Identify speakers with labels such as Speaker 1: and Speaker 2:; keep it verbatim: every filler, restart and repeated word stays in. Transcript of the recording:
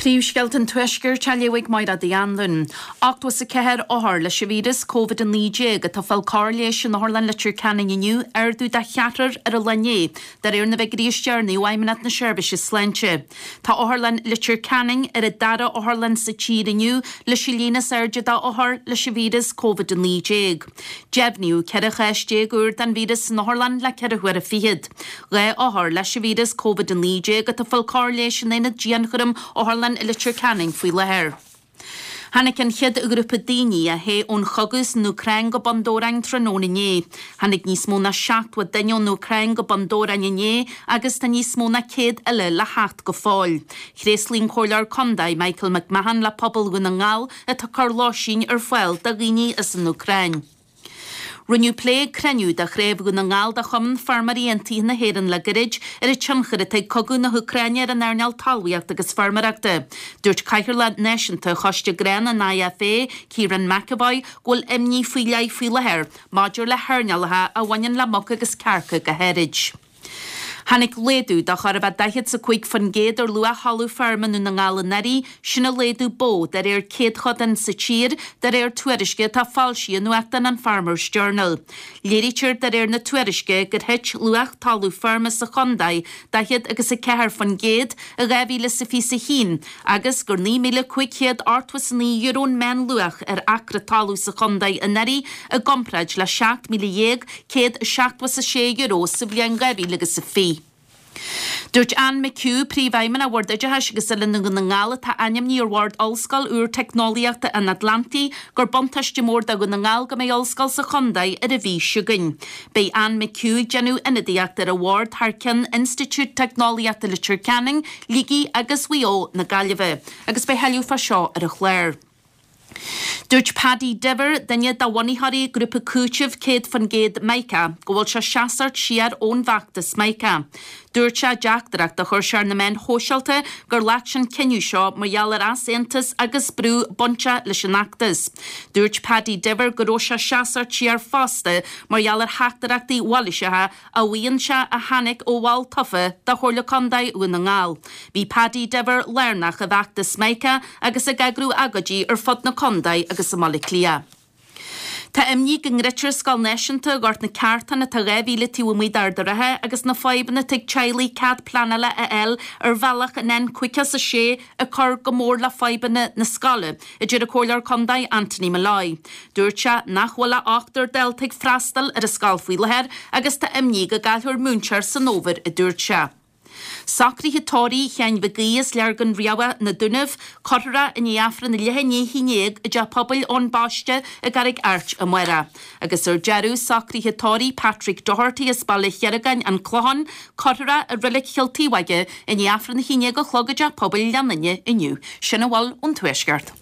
Speaker 1: Príomhscéalta an Tuaiscirt á léamh ag Máire Uí Anluain. Ochtó is a ceathair othar leis an víreas Covid a naoi déag atá ag fáil cóir leighis in Otharlann Leitir Ceanainn inniu, ardú de cheathrar ar an lá inné, de réir na bhfigiúirí is deireanaí ó Fheidhmeannacht na Seirbhíse Sláinte. Tá Otharlann Leitir Ceanainn ar an dara otharlann sa tír inniu leis an líon is airde d'othair leis an víreas Covid a naoi déag. Deimhníodh ceithre chás déag úr den víreas san otharlann le ceithre huaire fichead. Dhá othar leis an víreas Covid a naoi déag atá ag fáil cóir leighis in aonad dianchúraim Otharlann Leitir Ceanainn faoi láthair. Tháinig an chéad ghrúpa daoine a theith ón chogadh san Úcráin go Bun Dobhráin tráthnóna inné. Tháinig níos mó ná seachtó duine ón Úcráin go Bun Dobhráin inné agus tá níos mó ná céad eile le theacht go fóill. Thréaslaigh an Comhairleoir Contae Michael McMahon le pobal Dhún na nGall atá ag cur lóistín ar fáil do dhaoine as an Úcráin. Rinneadh plé ag cruinniú de Chraobh Dhún na nGall de Chumann Feirmeoirí Aontaithe na hÉireann le gairid ar an tionchar atá ag cogadh na hÚcráine ar an earnáil talmhaíochta agus feirmeoireachta. Dúirt Cathaoirleach Náisiúnta Choiste Grán an IFA, Kieran McEvoy, go bhfuil imní faoi leith faoi láthair maidir le hearnálacha a bhaineann le muca agus cearca go háirid. Tháinig laghdú de chóir a bheith daichead is a cúig faoin gcéad ar luach thalamh feirme i nDún na nGall anuraidh, sin an laghdú ba mhó de réir céadchodán sa tír, de réir tuairisce atá foilsithe i nuachtán an Farmers Journal. Léirítear de réir na tuairisce gur thit luach talamh feirme sa chontae daichead agus a ceathair faoin gcéad i dhá mhíle is a fiche a haon agus gur naoi míle cúig chéad ochtó is a naoi euro an meánluach ar acra talamh sa chontae anuraidh i gcomparáid le seacht míle dhéag céad seachtó is a sé euro sa bhliain dhá mhíle agus a fiche. Dúirt Anne McHugh, Príomhfheidhmeannach Bhord Oideachais agus Oiliúna Dhún na nGall atá ainmnithe ar Bhord Ollscoil úr Teicneolaíochta an Atlantaigh, gur buntáiste mór do Dhún na nGall go mbeidh ollscoil sa chontae ar an mhí seo chugainn. Beidh Anne McHugh ag déanamh ionadaíocht ar an bhord thar ceann Institiúid Teicneolaíochta Leitir Ceanainn, Shligigh agus Mhaigh Eo na Gaillimhe, agus beidh tuilleadh fá seo ar an chlár. Dúirt Paddy Diver, duine de bhunaitheoirí grúpa cúitimh céad faoin gcéad Mica, go bhfuil sé seasamh siar ón bhfeachtas Mica. Dúirt sé i dteachtaireacht a chuir sé ar na meáin shóisialta gur ghlac sé an cinneadh seo mar gheall ar easaontas agus brú bainteach leis an fheachtas. Dúirt Paddy Diver go raibh sé seasamh siar fosta mar gheall ar theachtaireachtaí mhailíseacha a mhaíonn sé a tháinig ó bhall tofa de Chomhairle Contae Dhún na nGall. Bhí Paddy Diver lárnach i bhfeachtas Mica agus ag eagrú agóidí ar fud na contae agus i mBaile Átha Cliath. Tá imní go ndruidfear Scoil Náisiúnta Ghort na Ceártan atá dhá mhíle taobh amuigh d'Ard an Rátha agus na fadhbanna atá ag teaghlaigh cead pleanála a fháil ar bhealach an N caoga is a sé ag cur go mór le fadhbanna na scoile, a deir an Comhairleoir Contae Anthony Molloy. Dúirt sé nach bhfuil ach ochtar dalta ag freastal ar an scoil faoi láthair agus tá imní go gcaillfear múinteoir san fhómhar, a dúirt sé. Socruithe tórraimh Sheáin Mhig Aoidh as Leargan Riabhach, Na Dúnaibh, cuirfear é i ndiaidh Aifreann a leath i ndiaidh a haon déag i dTeach Pobail Eoin Baiste i gCarraig Airt amárach. Agus ar deireadh, socruithe tórraimh Patrick Doherty as Baile Chiaragáin, An Clochán, cuirfear é i Reilig Chill Taobh i ndiaidh Aifreann a haon déag a chlog i dTeach Pobail Ghleann Fhinne inniu. Sin a bhfuil ón Tuaisceart.